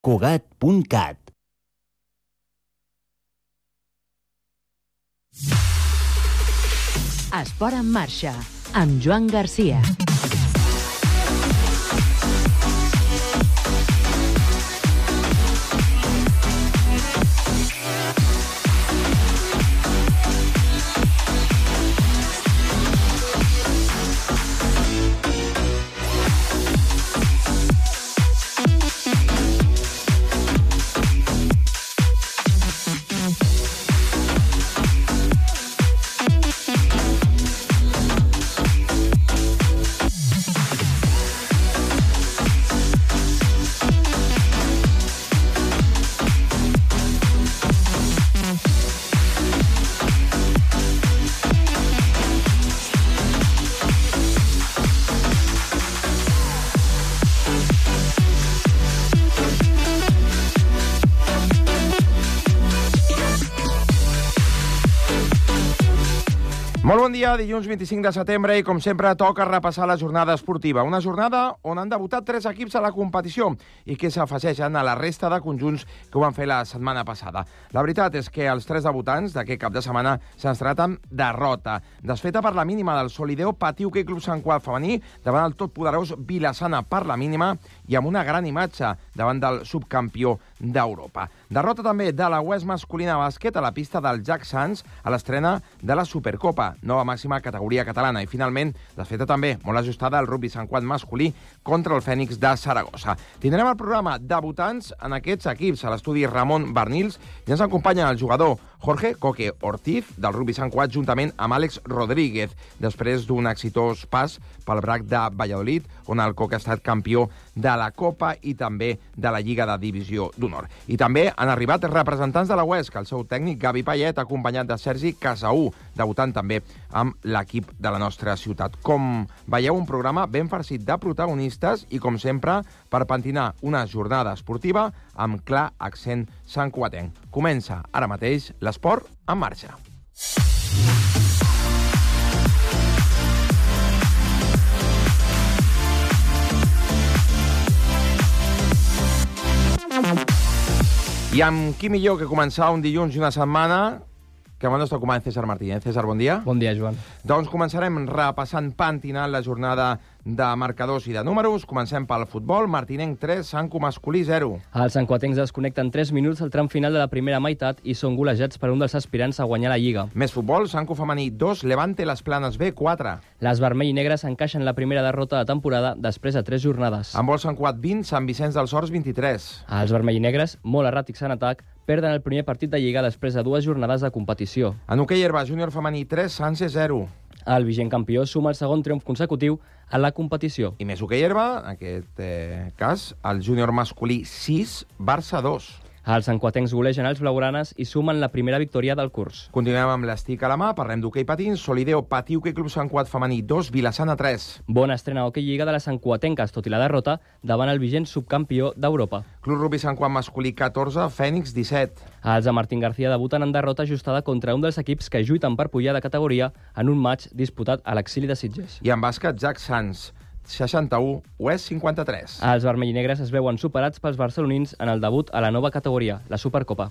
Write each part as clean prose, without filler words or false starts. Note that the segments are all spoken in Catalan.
Cugat.cat. Esport en marxa, amb Joan Garcia. Molt bon dia, dilluns 25 de setembre i, com sempre, toca repassar la jornada esportiva. Una jornada on han debutat 3 equips a la competició i que s'afegeixen a la resta de conjunts que ho van fer la setmana passada. La veritat és que els 3 debutants d'aquest cap de setmana s'han estrenat amb derrota. Desfeta per la mínima del Solideo Patí Hoquei Club Sant Cugat femení davant el totpoderós Vila-sana per la mínima i amb una gran imatge davant del subcampió d'Europa. Derrota també de la UES masculina bàsquet a la pista del Jack Sands a l'estrena de la Supercopa, nova màxima categoria catalana. I, finalment, desfeta també molt ajustada el rugbi Sant Cugat masculí contra el Fènix de Saragossa. Tindrem el programa debutants en aquests equips. A l'estudi Ramon Bernils i ens acompanya el jugador Jorge Coque Ortiz del rugbi Sant Cugat juntament amb Àlex Rodríguez, després d'un exitós pas pel BRAC de Valladolid, on el Coque ha estat campió de la Copa i també de la Lliga de Divisió d'Honor. I també han arribat representants de la UESC, el seu tècnic Gavi Payet, acompanyat de Sergi Casaú, debutant també amb l'equip de la nostra ciutat. Com veieu, un programa ben farcit de protagonistes i, com sempre, per pentinar una jornada esportiva amb clar accent santcugatenc. Comença ara mateix l'esport en marxa. I amb qui millor que començar un dilluns i una setmana que amb el nostre company César Martínez. César, bon dia. Bon dia, Joan. Doncs començarem repassant, pentinant la jornada de marcadors i de números. Comencem pel futbol. Martinenc 3, Sanco masculí 0. Els santcuatencs es connecten 3 minuts al tram final de la primera meitat i són golejats per un dels aspirants a guanyar la Lliga. Més futbol, Sanco femení 2, Levante les Planes B 4. Les vermell i negres encaixen la primera derrota de temporada després de 3 jornades. Handbol Sant Cugat 20, Sant Vicenç dels Horts 23. Els vermell i negres, molt erràtics en atac, perden el primer partit de Lliga després de 2 jornades de competició. En hoquei herba, júnior femení 3, Sanse 0. El vigent campió suma el segon triomf consecutiu a la competició. I més hoquei herba, en aquest cas, el júnior masculí 6, Barça 2. Els santcuatencs golegen els blaugranes i sumen la primera victòria del curs. Continuem amb l'estic a la mà, parlem d'hoquei patins. Solideo Patí Hoquei Club Sant Cugat femení 2, Vila-sana 3. Bona estrena a hoquei lliga de les santcuatenques, tot i la derrota, davant el vigent subcampió d'Europa. Club rugbi Sant Cugat masculí 14, Fènix 17. Els de Martín García debuten en derrota ajustada contra un dels equips que lluiten per pujar de categoria en un match disputat a l'exili de Sitges. I en bàsquet, Jack Sands 61, UES 53. Els vermell i negres es veuen superats pels barcelonins en el debut a la nova categoria, la Supercopa.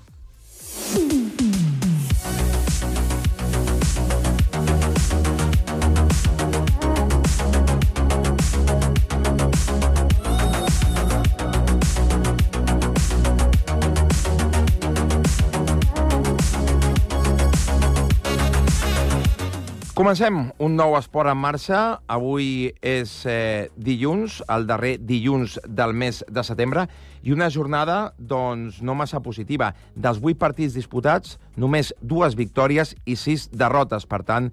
Comencem un nou esport en marxa. Avui és dilluns, el darrer dilluns del mes de setembre, i una jornada doncs, no massa positiva. Dels 8 partits disputats, només 2 victòries i 6 derrotes. Per tant,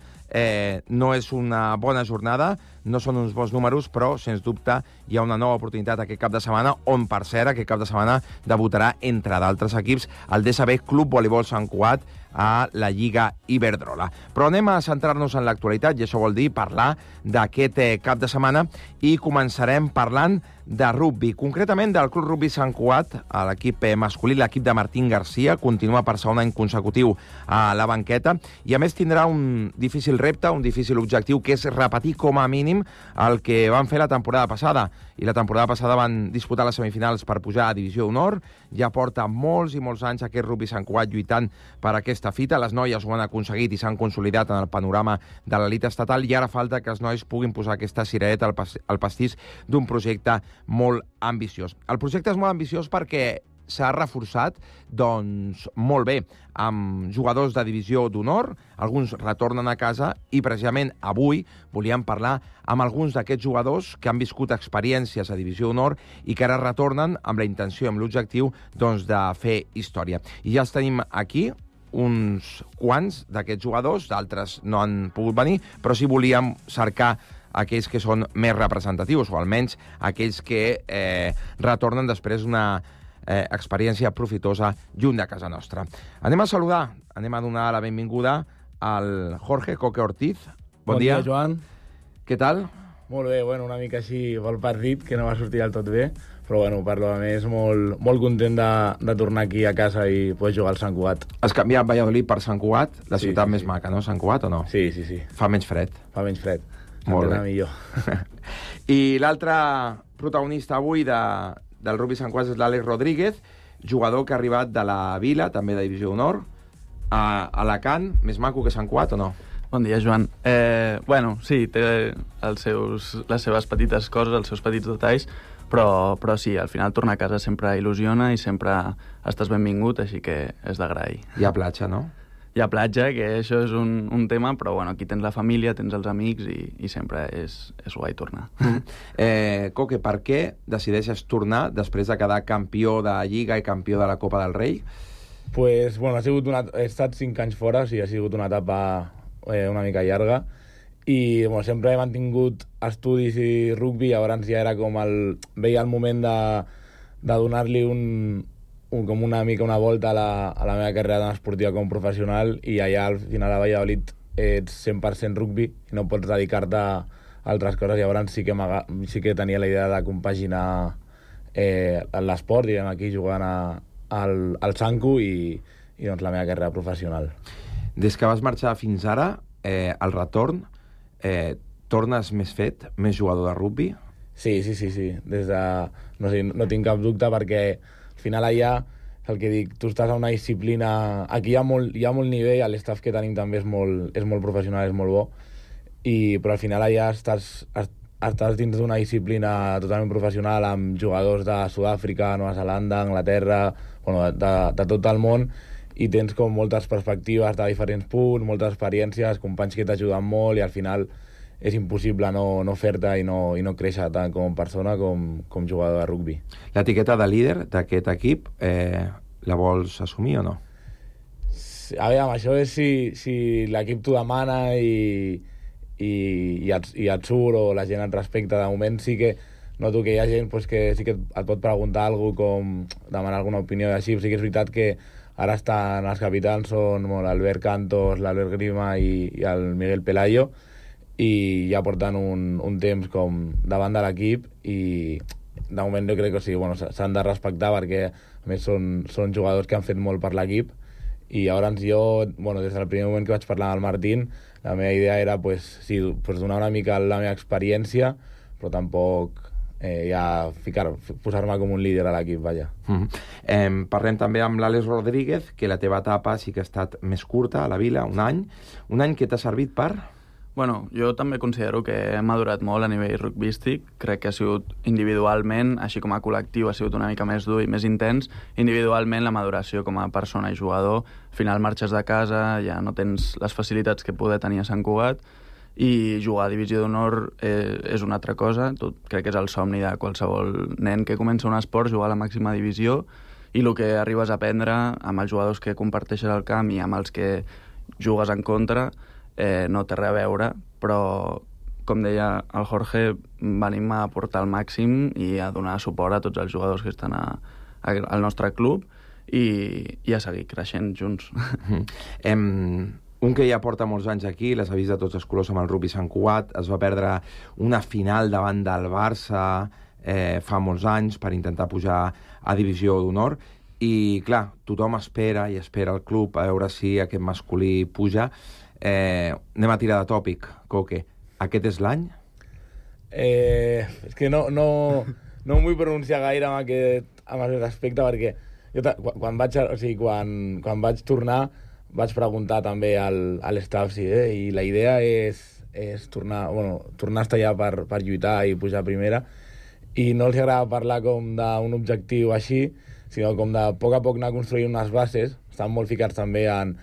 no és una bona jornada, no són uns bons números, però, sens dubte, hi ha una nova oportunitat aquest cap de setmana, on, per cert, aquest cap de setmana debutarà, entre d'altres equips, el DSB Club Voleibol Sant Cugat a la Lliga Iberdrola. Però anem a centrar-nos en l'actualitat, i això vol dir parlar d'aquest cap de setmana, i començarem parlant de rugbi, concretament del Club Rugbi Sant Cugat, l'equip masculí, l'equip de Martín García, continua per segon any consecutiu a la banqueta, i a més tindrà un difícil repte, un difícil objectiu, que és repetir com a mínim tenim el que van fer la temporada passada. I la temporada passada van disputar les semifinals per pujar a Divisió d'Honor. Ja porta molts i molts anys aquest rugbi Sant Cugat lluitant per aquesta fita. Les noies ho han aconseguit i s'han consolidat en el panorama de l'elit estatal i ara falta que els nois puguin posar aquesta cirereta al pastís d'un projecte molt ambiciós. El projecte és molt ambiciós perquè s'ha reforçat, doncs, molt bé, amb jugadors de Divisió d'Honor, alguns retornen a casa i precisament avui volíem parlar amb alguns d'aquests jugadors que han viscut experiències a Divisió d'Honor i que ara retornen amb la intenció, amb l'objectiu, doncs, de fer història. I ja els tenim aquí, uns quants d'aquests jugadors, d'altres no han pogut venir, però sí volíem cercar aquells que són més representatius, o almenys aquells que retornen després d'una experiència profitosa lluny de casa nostra. Anem a saludar, anem a donar la benvinguda al Jorge Coque Ortiz. Bon dia, Joan. Què tal? Molt bé, bueno, una mica així pel partit, que no va sortir del tot bé, però bueno, per lo més molt content de tornar aquí a casa i poder jugar al Sant Cugat. Has canviat Valladolid per Sant Cugat, la ciutat més maca, no? Sant Cugat o no? Sí. Fa menys fred. Fa menys fred. Molt bé. Millor. I l'altre protagonista avui del rugby Sant Cugat és l'Àlex Rodríguez, jugador que ha arribat de la Vila, també de Divisió d'Honor, a Alacant, més maco que Sant Cugat o no? Bon dia, Joan. Bueno, sí, té les seves petites coses, els seus petits detalls, però sí, al final tornar a casa sempre il·lusiona i sempre estàs benvingut, així que és d'agrair. Hi ha platja, no? Hi ha platja, que això és un tema, però bueno, aquí tens la família, tens els amics i sempre és guai tornar. Coque, per què decideixes tornar després de quedar campió de Lliga i campió de la Copa del Rei? Pues, bueno, he estat 5 anys fora, o sigui, ha sigut una etapa una mica llarga, i bueno, sempre he mantingut estudis i rugby, llavors ja era com veia el moment de donar-li com una mica una volta a la meva carrera tant esportiva com professional, i allà al final a Valladolid ets 100% rugby i no pots dedicar-te a altres coses. Llavors sí que tenia la idea de compaginar l'esport, diguem, aquí jugant al Sancu i doncs la meva carrera professional. Des que vas marxar fins ara, al retorn, tornes més fet, més jugador de rugby? Sí. No tinc cap dubte, perquè al final allà, el que dic, tu estàs a una disciplina... Aquí hi ha molt nivell, l'estaf que tenim també és molt professional, és molt bo, però al final allà estàs dins d'una disciplina totalment professional amb jugadors de Sud-àfrica, Nova Zelanda, Anglaterra, bueno, de tot el món, i tens com moltes perspectives de diferents punts, moltes experiències, companys que t'ajuden molt, i al final és impossible no fer-te i no créixer tant com persona com jugador de rugby. L'etiqueta de líder d'aquest equip, la vols assumir o no? A veure, això és si l'equip t'ho demana i et surt, o la gent et respecta. De moment sí que noto que hi ha gent que sí que et pot preguntar alguna cosa, com demanar alguna opinió i així. Sí que és veritat que ara estan els capitans, són l'Albert Cantos, l'Albert Grima i el Miguel Pelayo, i ja porten un temps com davant de l'equip, i de moment jo crec que sí, s'han de respectar, perquè a més són jugadors que han fet molt per l'equip. I llavors jo, des del primer moment que vaig parlar amb el Martín, la meva idea era donar una mica la meva experiència, però tampoc posar-me com un líder a l'equip, vaja. Parlem també amb l'Àlex Rodríguez, que la teva etapa sí que ha estat més curta a la Vila, un any que t'ha servit per... Bueno, jo també considero que he madurat molt a nivell rugbístic. Crec que ha sigut individualment, així com a col·lectiu, ha sigut una mica més dur i més intens. Individualment, la maduració com a persona i jugador, al final marxes de casa, ja no tens les facilitats que poder tenir a Sant Cugat, i jugar a Divisió d'Honor és una altra cosa. Crec que és el somni de qualsevol nen que comença un esport, jugar a la màxima divisió, i el que arribes a aprendre amb els jugadors que comparteixes el camp i amb els que jugues en contra no té res a veure, però com deia el Jorge, venim a aportar el màxim i a donar suport a tots els jugadors que estan al nostre club i a seguir creixent junts. Un que ja porta molts anys aquí, les ha vist de tots els colors amb el rugby Sant Cugat, es va perdre una final davant del Barça fa molts anys per intentar pujar a Divisió d'Honor, i clar, tothom espera el club a veure si aquest masculí puja. Anem a tirar de tòpic, Coque. Aquest és l'any? És que no em vull pronunciar gaire amb aquest aspecte, perquè jo quan vaig tornar vaig preguntar també a l'estaf i la idea és tornar a estar allà per lluitar i pujar a primera, i no els agrada parlar com d'un objectiu així, sinó com de a poc anar construint unes bases. Estan molt ficats també en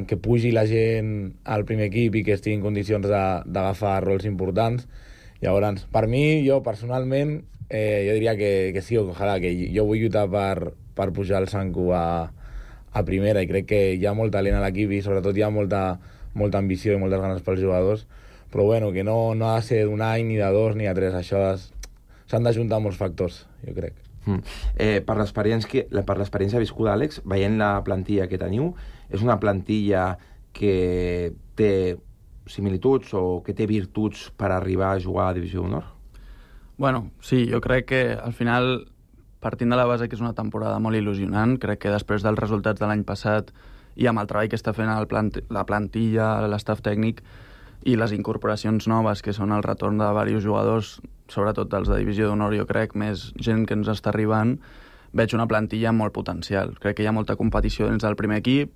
que pugi la gent al primer equip i que estigui en condicions d'agafar rols importants. Llavors, per mi, jo personalment, jo diria que sí, ojalà, que jo vull lluitar per pujar el Sanku a primera, i crec que hi ha molt talent a l'equip i sobretot hi ha molta ambició i moltes ganes pels jugadors, però bueno, que no ha de ser d'un any, ni de dos, ni de tres, això s'han d'ajuntar molts factors, jo crec. Per l'experiència viscuda, Àlex, veient la plantilla que teniu, és una plantilla que té similituds o que té virtuts per arribar a jugar a Divisió d'Honor? Bueno, sí, jo crec que al final, partint de la base que és una temporada molt il·lusionant, crec que després dels resultats de l'any passat i amb el treball que està fent la plantilla, l'estaf tècnic i les incorporacions noves, que són el retorn de diversos jugadors, sobretot dels de Divisió d'Honor, jo crec, més gent que ens està arribant, veig una plantilla amb molt potencial. Crec que hi ha molta competició dins del primer equip,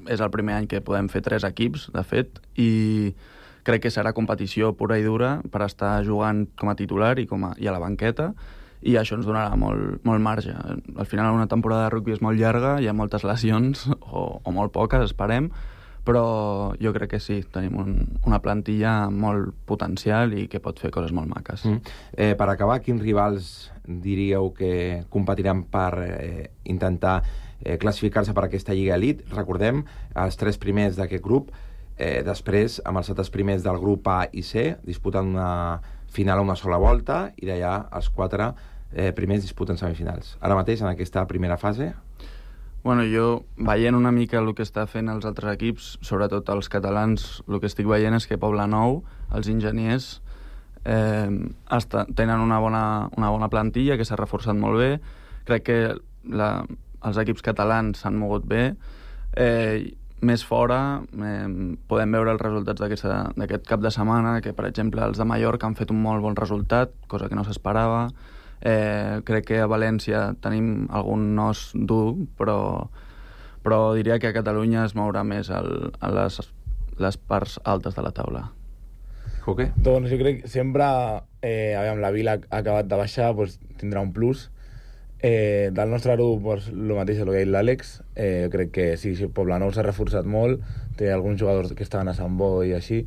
és el primer any que podem fer 3 equips, de fet, i crec que serà competició pura i dura per estar jugant com a titular i a la banqueta, i això ens donarà molt marge. Al final una temporada de rugby és molt llarga, hi ha moltes lesions, o molt poques, esperem, però jo crec que sí, tenim una plantilla amb molt potencial i que pot fer coses molt maques. Per acabar, quins rivals diríeu que competiran per intentar classificar-se per aquesta Lliga Elite? Recordem, els 3 primers d'aquest grup, després, amb els 7 primers del grup A i C, disputen una final a una sola volta, i d'allà els 4 primers disputen semifinals. Ara mateix, en aquesta primera fase... Bueno, jo, veient una mica el que està fent els altres equips, sobretot els catalans, el que estic veient és que Poblenou, els enginyers, tenen una bona plantilla que s'ha reforçat molt bé. Crec que els equips catalans s'han mogut bé. Més fora, podem veure els resultats d'aquest cap de setmana, que, per exemple, els de Mallorca han fet un molt bon resultat, cosa que no s'esperava. Crec que a València tenim algun nos dur, però diria que a Catalunya es mourà més a les parts altes de la taula. Coque? Doncs jo crec que sempre, la Vila ha acabat de baixar, tindrà un plus. Del nostre grup, el mateix el que ha dit l'Àlex. Jo crec que sí, Poblenou s'ha reforçat molt, té alguns jugadors que estaven a Sant Boi i així.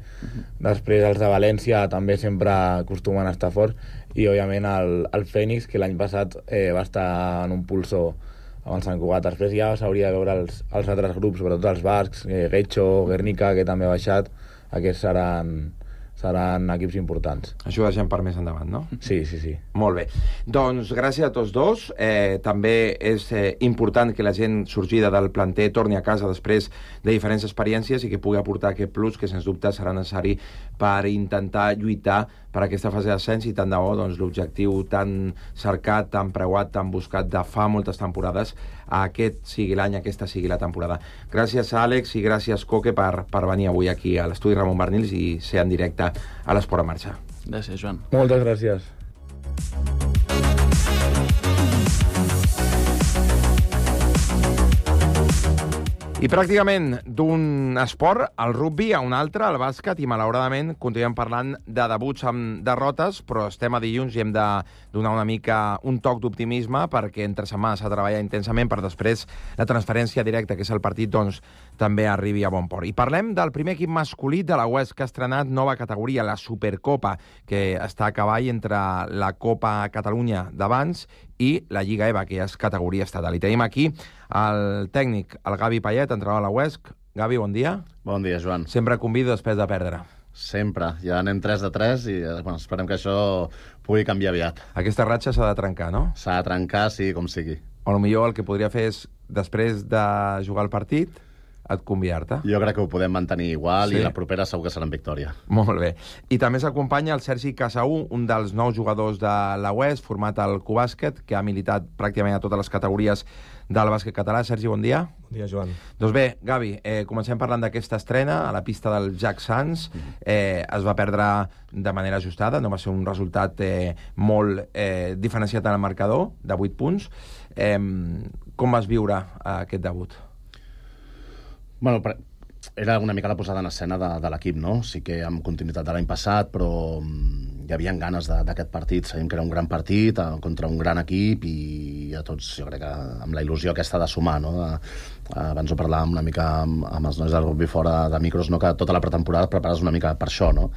Després els de València també sempre acostumen a estar forts, i òbviament el Fènix, que l'any passat va estar en un pulsó amb el Sant Cugat. Després ja s'hauria de veure els altres grups, sobretot els bascs, Getxo, Guernica, que també ha baixat. Aquests seran equips importants. Això ho deixem per més endavant, no? Sí. Molt bé. Doncs gràcies a tots dos. També és important que la gent sorgida del planter torni a casa després de diferents experiències i que pugui aportar aquest plus que, sens dubte, serà necessari per intentar lluitar per aquesta fase d'ascens, i tant de bo l'objectiu tan cercat, tan preuat, tan buscat de fa moltes temporades, aquest sigui l'any, aquesta sigui la temporada. Gràcies a Àlex i gràcies, Coque, per venir avui aquí a l'estudi Ramon Barnils i ser en directe a l'Esport en Marxa. Gràcies, Joan. Moltes gràcies. I pràcticament d'un esport, el rugby, a un altre, el bàsquet, i malauradament continuem parlant de debuts amb derrotes, però estem a dilluns i hem de donar una mica un toc d'optimisme, perquè entre setmana s'ha de treballar intensament per després la transferència directa, que és el partit, també arribi a bon port. I parlem del primer equip masculí de la UESC, que ha estrenat nova categoria, la Supercopa, que està a cavall entre la Copa Catalunya d'abans i la Lliga EVA, que és categoria estatal. I tenim aquí el tècnic, el Gavi Payet, entrenador de la UESC. Gavi, bon dia. Bon dia, Joan. Sempre convido després de perdre. Sempre. Ja anem 3 de 3 i esperem que això pugui canviar aviat. Aquesta ratxa s'ha de trencar, no? S'ha de trencar, sí, com sigui. O potser el que podria fer és, després de jugar el partit, et convidar-te. Jo crec que ho podem mantenir igual Sí. i la propera segur que serà en victòria. Molt bé. I també s'acompanya el Sergi Casaú, un dels nous jugadors de la UES, format al Cubàsquet, que ha militat pràcticament a totes les categories del bàsquet català. Sergi, bon dia. Bon dia, Joan. Doncs bé, Gavi, comencem parlant d'aquesta estrena a la pista del Jack Sands. Es va perdre de manera ajustada, no va ser un resultat molt diferenciat en el marcador, de 8 punts. Com vas viure aquest debut? Bueno, era una mica la posada en escena de l'equip, no? Sí que amb continuïtat de l'any passat, però hi havia ganes d'aquest partit. Sabíem que era un gran partit contra un gran equip i a tots, jo crec que amb la il·lusió aquesta de sumar, no? Abans ho parlàvem una mica amb els nois del rugby fora de micros, no? Que tota la pretemporada et prepares una mica per això, no?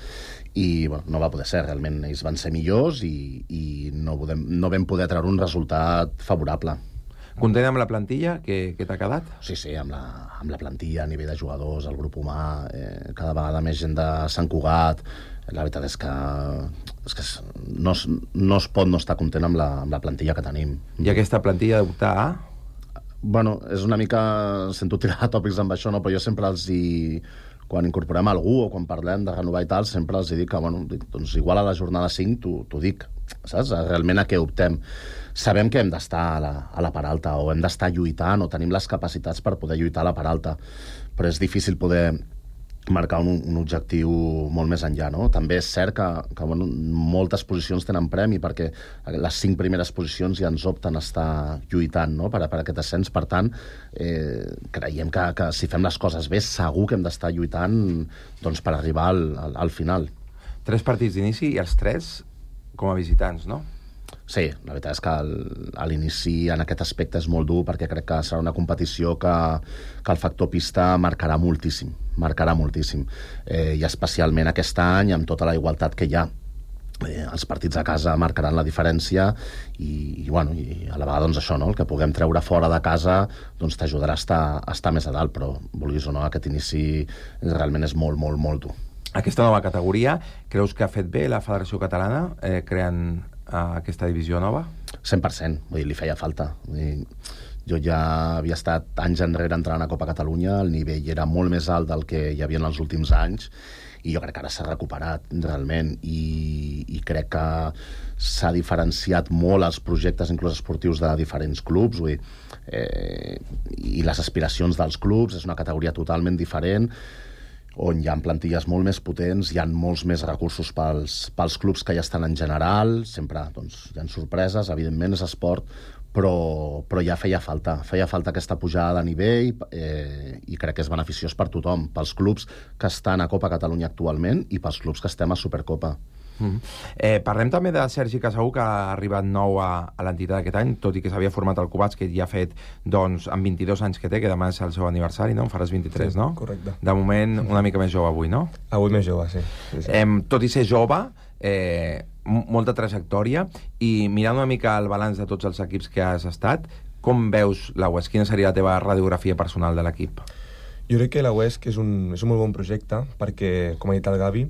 I bueno, no va poder ser, realment ells van ser millors i no vam poder treure un resultat favorable. Content amb la plantilla que t'ha quedat? Sí, amb la plantilla, a nivell de jugadors, el grup humà, cada vegada més gent de Sant Cugat. La veritat és que no es pot no estar content amb la plantilla que tenim. I aquesta plantilla d'optar a? Bueno, és una mica... Sento tirar tòpics amb això, no? Però jo sempre quan incorporem algú o quan parlem de renovar i tal, sempre els dic que, bueno, doncs igual a la jornada 5 t'ho dic, saps? Realment a què optem. Sabem que hem d'estar a la part alta o hem d'estar lluitant o tenim les capacitats per poder lluitar a la part alta, però és difícil poder marcar un objectiu molt més enllà, no? També és cert que bueno, moltes posicions tenen premi perquè les 5 primeres posicions ja ens opten a estar lluitant, no? per aquest ascens. Per tant, creiem que si fem les coses bé segur que hem d'estar lluitant doncs, per arribar al final. 3 partits d'inici i els 3 com a visitants, no? Sí, la veritat és que a l'inici en aquest aspecte és molt dur perquè crec que serà una competició que el factor pista marcarà moltíssim, i especialment aquest any amb tota la igualtat que hi ha. Els partits a casa marcaran la diferència i a la vegada doncs això, no? El que puguem treure fora de casa doncs t'ajudarà a estar més a dalt, però vulguis o no, aquest inici realment és molt, molt, molt dur. Aquesta nova categoria, creus que ha fet bé la Federació Catalana creant aquesta divisió nova? 100%, vull dir, li feia falta. Vull dir, jo ja havia estat anys enrere entrant a Copa Catalunya, el nivell era molt més alt del que hi havia en els últims anys, i jo crec que ara s'ha recuperat realment, i crec que s'ha diferenciat molt els projectes inclús esportius de diferents clubs, vull dir, i les aspiracions dels clubs. És una categoria totalment diferent, on hi ha plantilles molt més potents, hi ha molts més recursos pels clubs que ja estan en general, sempre doncs, hi ha sorpreses, evidentment és esport, però ja feia falta aquesta pujada de nivell i crec que és beneficiós per tothom, pels clubs que estan a Copa Catalunya actualment i pels clubs que estem a Supercopa. Parlem també de Sergi Casaú, que ha arribat nou a l'entitat aquest any, tot i que s'havia format al Cubàsquet i ha fet, doncs, amb 22 anys que té, que demà és el seu aniversari, no? En faràs 23, sí, no? Correcte. De moment, una mica més jove avui, no? Avui més jove, sí. Tot i ser jove, molta trajectòria, i mirant una mica el balanç de tots els equips que has estat, com veus la UESC? Quina seria la teva radiografia personal de l'equip? Jo crec que la UESC és un molt bon projecte perquè, com ha dit el Gavi,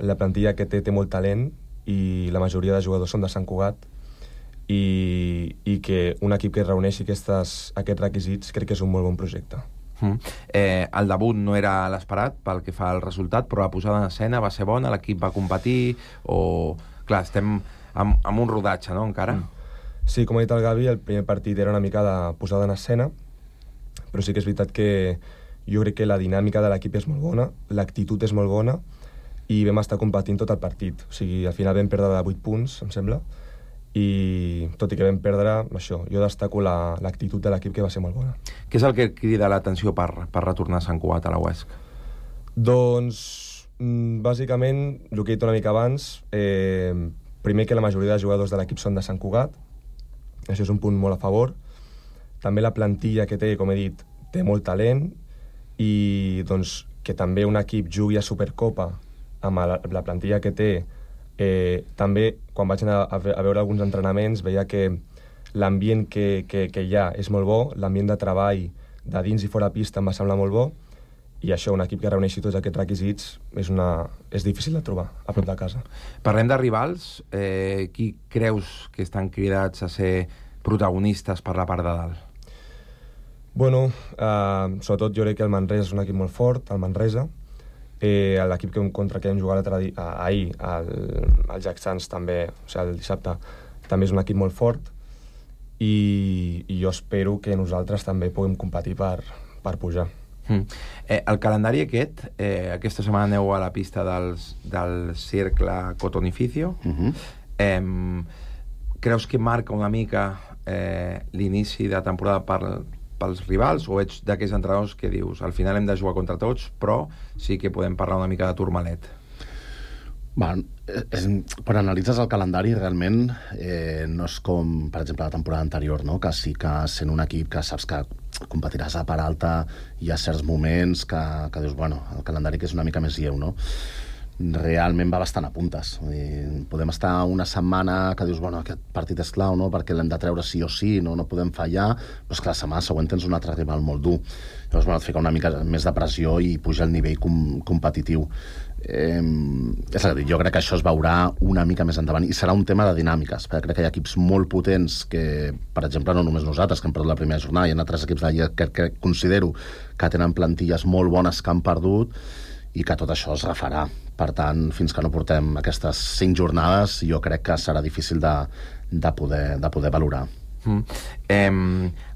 la plantilla que té molt talent i la majoria de jugadors són de Sant Cugat i que un equip que reuneixi aquests requisits crec que és un molt bon projecte. El debut no era l'esperat pel que fa al resultat, però la posada en escena va ser bona, l'equip va competir o... Clar, estem amb un rodatge, no, encara? Sí, com ha dit el Gavi, el primer partit era una mica de posada en escena, però sí que és veritat que jo crec que la dinàmica de l'equip és molt bona, l'actitud és molt bona, i vam estar competint tot el partit. O sigui, al final vam perdre de 8 punts, em sembla, i tot i que vam perdre, això, jo destaco l'actitud de l'equip, que va ser molt bona. Què és el que crida l'atenció per retornar a Sant Cugat, a la UESC? Doncs, bàsicament, el que he dit una mica abans, primer que la majoria de jugadors de l'equip són de Sant Cugat, això és un punt molt a favor. També la plantilla que té, com he dit, té molt talent, i doncs que també un equip jugui a Supercopa amb la plantilla que té. També, quan vaig anar a veure alguns entrenaments, veia que l'ambient que hi ha és molt bo, l'ambient de treball de dins i fora pista em va semblar molt bo, i això, un equip que reuneixi tots aquests requisits és difícil de trobar a prop de casa. Parlem de rivals. Qui creus que estan cridats a ser protagonistes per la part de dalt? Bueno, sobretot jo crec que el Manresa és un equip molt fort, el Manresa. L'equip contra què hem jugat ahir, el Jack Sands també, o sigui, el dissabte, també és un equip molt fort i jo espero que nosaltres també puguem competir per pujar. El calendari aquest, aquesta setmana aneu a la pista del Cercle Cotonificio. Creus que marca una mica l'inici de temporada pels rivals, o ets d'aquells entrenadors que dius al final hem de jugar contra tots, però sí que podem parlar una mica de turmalet? Quan analitzes el calendari realment no és com per exemple la temporada anterior, no? Que sí que sent un equip que saps que competiràs a part alta, hi ha certs moments que dius, bueno, el calendari que és una mica més lleu, no? Realment va bastant a puntes. Podem estar una setmana que dius, bueno, aquest partit és clau, no? Perquè l'hem de treure sí o sí, no podem fallar, però és que la setmana següent tens un altre rival molt dur. Llavors, bueno, et fica una mica més de pressió i puja el nivell competitiu. És a dir, jo crec que això es veurà una mica més endavant i serà un tema de dinàmiques, perquè crec que hi ha equips molt potents que, per exemple, no només nosaltres, que hem perdut la primera jornada, hi ha altres equips d'allà que considero que tenen plantilles molt bones que han perdut i que tot això es refarà. Per tant, fins que no portem aquestes 5 jornades, jo crec que serà difícil de poder valorar.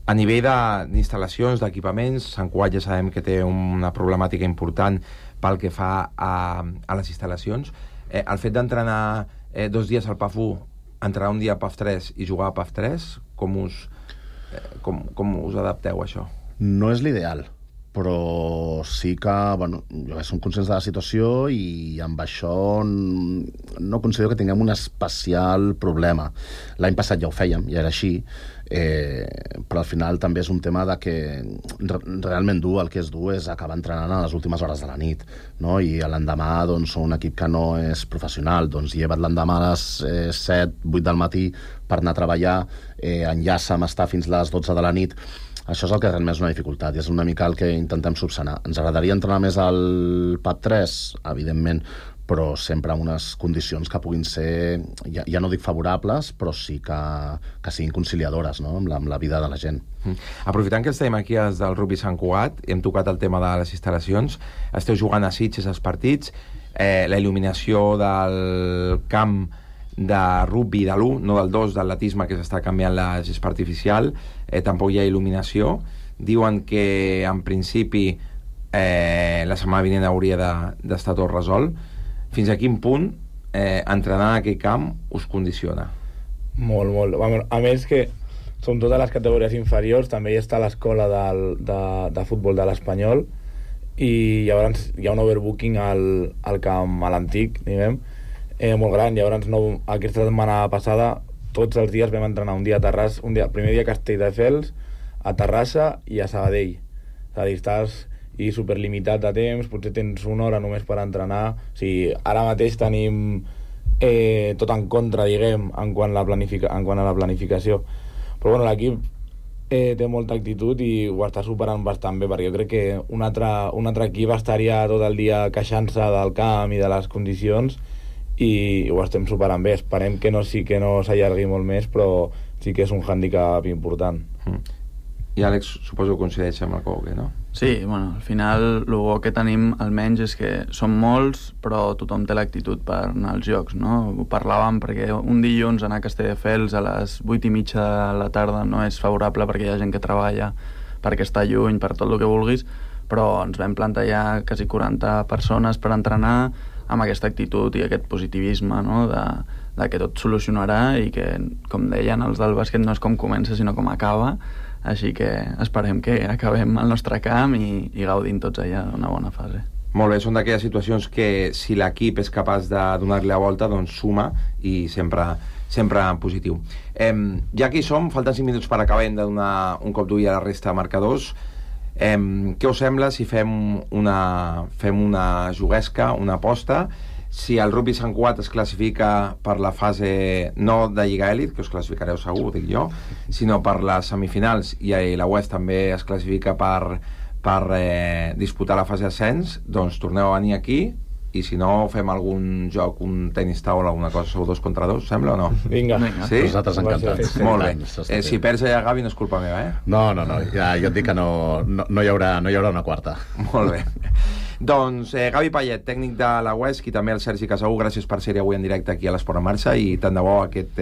A nivell d'instal·lacions, d'equipaments, Sant Cugat ja sabem que té una problemàtica important pel que fa a les instal·lacions. El fet d'entrenar 2 dies al PAF 1, entrenar un dia a PAF 3 i jugar a PAF 3, com us adapteu a això? No és l'ideal, però sí que, bueno, jo som conscients de la situació i amb això no considero que tinguem un especial problema. L'any passat ja ho fèiem, ja era així, però al final també és un tema de que realment el que és dur és acabar entrenant a les últimes hores de la nit, no? I l'endemà doncs, un equip que no és professional, doncs lleva't l'endemà a les 7, 8 del matí per anar a treballar, enllaça amb estar fins a les 12 de la nit. Això és el que realment és una dificultat i és una mica el que intentem subsanar. Ens agradaria entrenar més al PAP 3? Evidentment, però sempre en unes condicions que puguin ser, ja no dic favorables, però sí que siguin conciliadores, no? amb la vida de la gent. Aprofitant que estem aquí als del Rugby Sant Cugat, hem tocat el tema de les instal·lacions, esteu jugant a Sitges els partits, la il·luminació del camp de rugby de l'1, no del 2, d'atletisme, que s'està canviant la gespa artificial, tampoc hi ha il·luminació. Diuen que en principi la setmana vinent hauria d'estar tot resolt. Fins a quin punt entrenar en aquell camp us condiciona? Molt, molt. A més que som totes les categories inferiors, també hi està l'escola de futbol de l'Espanyol i llavors hi ha un overbooking al camp, a l'antic, diguem, molt gran. Llavors aquesta setmana passada tots els dies vam entrenar un dia a Terrassa, primer dia a Castelldefels, a Terrassa i a Sabadell. És a dir, estàs superlimitat de temps, potser tens una hora només per entrenar. O sigui, ara mateix tenim tot en contra, diguem, en quant a la planificació. Però bueno, l'equip té molta actitud i ho està superant bastant bé, perquè jo crec que un altre equip estaria tot el dia queixant-se del camp i de les condicions i ho estem superant bé. Esperem que no s'allargui molt més, però sí que és un hàndicap important. I Àlex, suposo que coincideix amb el Coque, no? Sí, bueno, al final el bo que tenim almenys és que som molts, però tothom té l'actitud per anar als jocs, no? Ho parlàvem perquè un dilluns anar a Castelldefels a les 8:30 de la tarda no és favorable perquè hi ha gent que treballa, perquè està lluny, per tot el que vulguis, però ens vam plantejar quasi 40 persones per entrenar amb aquesta actitud i aquest positivisme, no? de que tot solucionarà i que, com deien, els del bàsquet no és com comença sinó com acaba, així que esperem que acabem al nostre camp i gaudim tots allà d'una bona fase. Molt bé, són d'aquelles situacions que si l'equip és capaç de donar-li la volta, doncs suma i sempre en positiu. Ja que hi som, falten 5 minuts per acabar, hem de donar un cop d'ull a la resta de marcadors. Què us sembla si fem una juguesca, una aposta? Si el Rugby Sant Cugat es classifica per la fase no de Lliga Elit, que us classificareu segur, dic jo, sinó per les semifinals, i la West també es classifica per disputar la fase d'ascens, doncs torneu a venir aquí i si no fem algun joc, un tenis taula, alguna cosa, sou 2 contra 2, sembla o no? Vinga. Sí? Nosaltres encantats. Molt bé. Si perds allà, Gavi, no és culpa meva, eh? No, ja et dic que no hi haurà una quarta. Molt bé. Doncs Gavi Payet, tècnic de la UESC, i també el Sergi Casaú, gràcies per ser avui en directe aquí a l'Esport en Marxa, i tant de bo aquest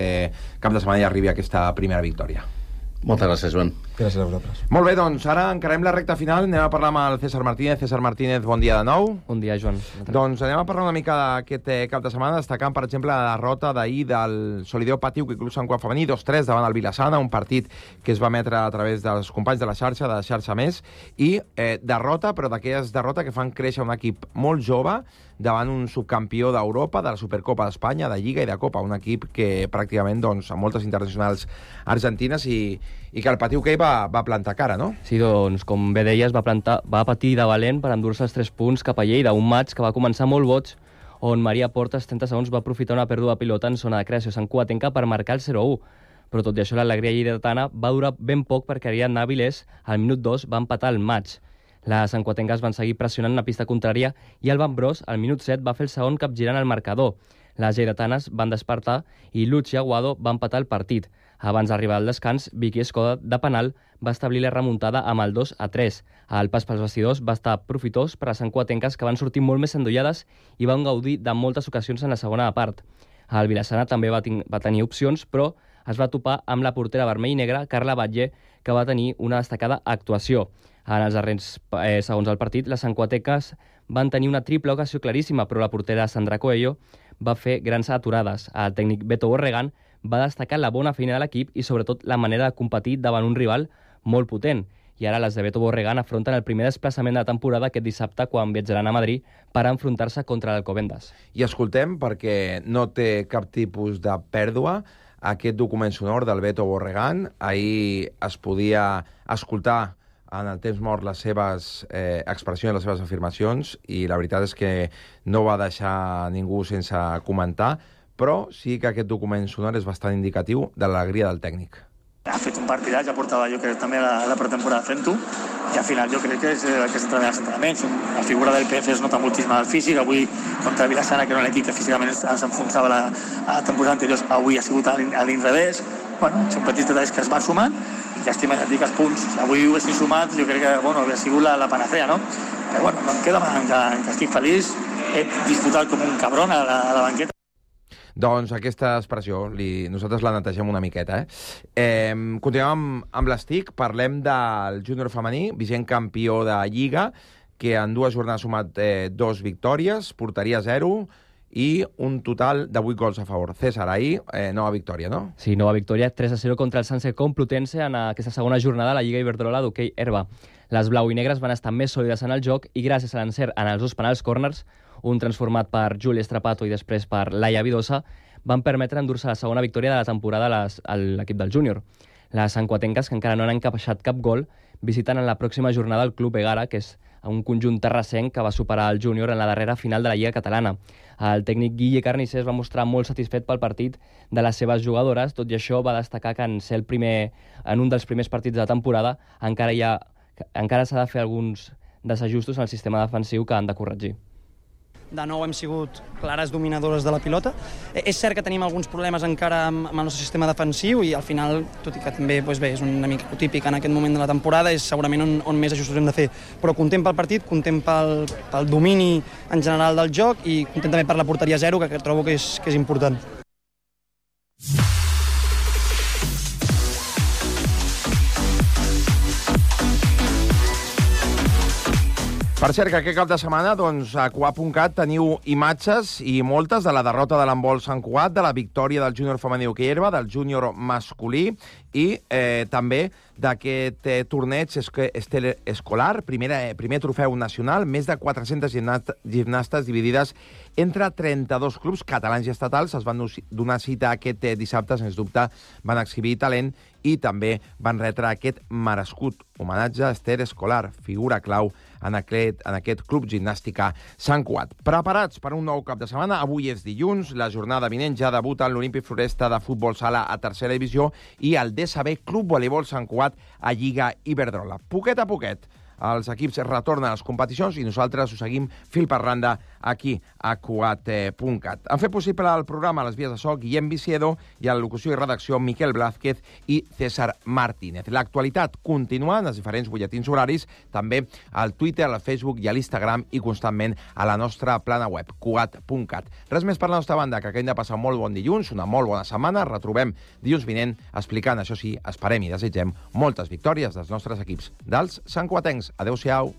cap de setmana hi arribi aquesta primera victòria. Moltes gràcies, Joan. Gràcies a vosaltres. Molt bé, doncs ara encarem la recta final. Anem a parlar amb el César Martínez. César Martínez, bon dia de nou. Bon dia, Joan. Doncs anem a parlar una mica d'aquest cap de setmana, destacant, per exemple, la derrota d'ahir del Solideo Patiu Club Sant Cugat femení, 2-3 davant el Vilassana, un partit que es va emetre a través dels companys de la xarxa més, i derrota, però d'aquelles derrota que fan créixer un equip molt jove davant un subcampió d'Europa, de la Supercopa d'Espanya, de Lliga i de Copa, un equip que pràcticament, doncs, amb moltes internacionals argentines, i que el Patiu va plantar cara, no? Sí, doncs, com bé deies, va patir de valent per endur-se els 3 punts cap a Lleida, un maig que va començar molt boig, on Maria Portes, 30 segons, va aprofitar una pèrdua de pilota en zona de creació santcugatenca per marcar el 0-1. Però tot i això, l'alegria lleidatana va durar ben poc perquè Ariadna Avilés, al minut 2, va empatar el maig. Les santcugatenques van seguir pressionant la pista contrària i el Bros, al minut 7, va fer el segon capgirant al marcador. Les lleidatanes van despertar i Luchi Aguado va empatar el partit. Abans d'arribar al descans, Vicky Escoda, de penal, va establir la remuntada amb el 2-3. El pas pels vestidors va estar profitós per a les santcugatenques, que van sortir molt més endollades i van gaudir de moltes ocasions en la segona part. El Vilassana també va tenir opcions, però es va topar amb la portera vermell i negra, Carla Batlle, que va tenir una destacada actuació. En els darrers segons del partit, les santcugatenques van tenir una triple ocasió claríssima, però la portera Sandra Coelho va fer grans aturades. El tècnic Beto Borregan va destacar la bona feina de l'equip i sobretot la manera de competir davant un rival molt potent. I ara les de Beto Borregan afronten el primer desplaçament de la temporada aquest dissabte, quan viatjaran a Madrid per enfrontar-se contra l'Alcobendas. I escoltem, perquè no té cap tipus de pèrdua, aquest document sonor del Beto Borregan. Ahir es podia escoltar en el temps mort les seves expressions, les seves afirmacions, i la veritat és que no va deixar ningú sense comentar, però sí que aquest document sonor és bastant indicatiu de l'alegria del tècnic. Ha fet un partidat, ja portava jo crec també la pretemporada fent-ho, i al final jo crec que és el que s'entrena als entrenaments. La figura del PF es nota moltíssim al físic. Avui contra el Vilassana, que era un equip que físicament s'enfonsava la temporada anterior, avui ha sigut a l'inrevés. Bueno, són petits detalls que es van sumant, i llàstima que et dic els punts. Si avui ho haguessin sumat, jo crec que hauria sigut la panacea, no? Però bueno, no em queda que estic feliç, he disfrutat com un cabron a la banqueta. Doncs aquesta expressió, nosaltres la netegem una miqueta. Continuem amb l'Estic, parlem del júnior femení, vigent campió de Lliga, que en 2 jornades ha sumat 2 victòries, porteria 0 i un total de 8 gols a favor. César, ahir, nova victòria, no? Sí, nova victòria, 3-0 contra el Sanse Complutense en aquesta segona jornada de la Lliga Iberdrola d'hoquei herba. Les blau i negres van estar més sòlides en el joc i gràcies a l'encert en els 2 penals corners, un transformat per Júlia Estrapato i després per Laia Vidosa, van permetre endur-se la segona victòria de la temporada a l'equip del júnior. Les santcugatenques, que encara no han encaixat cap gol, visiten en la pròxima jornada el Club Egara, que és un conjunt terrassenc que va superar el júnior en la darrera final de la Lliga Catalana. El tècnic Guille Carnicé es va mostrar molt satisfet pel partit de les seves jugadores, tot i això va destacar que en un dels primers partits de la temporada encara s'ha de fer alguns desajustos en el sistema defensiu que han de corregir. De nou hem sigut clares dominadores de la pilota. És cert que tenim alguns problemes encara amb el nostre sistema defensiu i al final, tot i que també és una mica típic en aquest moment de la temporada, és segurament on més ajustos hem de fer. Però content pel partit, content pel domini en general del joc i content també per la porteria 0, que trobo que és important. Per cert, que aquest cap de setmana, doncs, a Cugat.cat teniu imatges i moltes de la derrota de l'handbol Sant Cugat, de la victòria del júnior femení hoquei herba, del júnior masculí i també d'aquest torneig escolar, primer trofeu nacional, més de 400 gimnastes dividides entre 32 clubs catalans i estatals. Es van donar cita aquest dissabte, sens dubte, van exhibir talent i també van retre aquest merescut homenatge a Esther Escolar, figura clau en aquest club gimnàstica Sant Cugat. Preparats per un nou cap de setmana? Avui és dilluns, la jornada vinent ja debuta en l'Olímpic Floresta de futbol sala a tercera divisió i el DSB Club Voleibol Sant Cugat a Lliga Iberdrola. Poquet a poquet els equips retornen a les competicions i nosaltres us seguim fil per randa aquí a Cugat.cat. Han fet possible el programa a les vies de so Guillem Viciedo i a la locució i redacció Miquel Blázquez i César Martínez. L'actualitat continua en els diferents butlletins horaris, també al Twitter, al Facebook i a l'Instagram i constantment a la nostra plana web, Cugat.cat. Res més per la nostra banda, que acabem de passar un molt bon dilluns, una molt bona setmana. Retrobem dilluns vinent explicant, això sí, esperem i desitgem moltes victòries dels nostres equips, dels santcugatencs. Adéu-siau.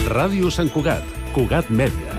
Ràdio Sant Cugat, Cugat Mèdia.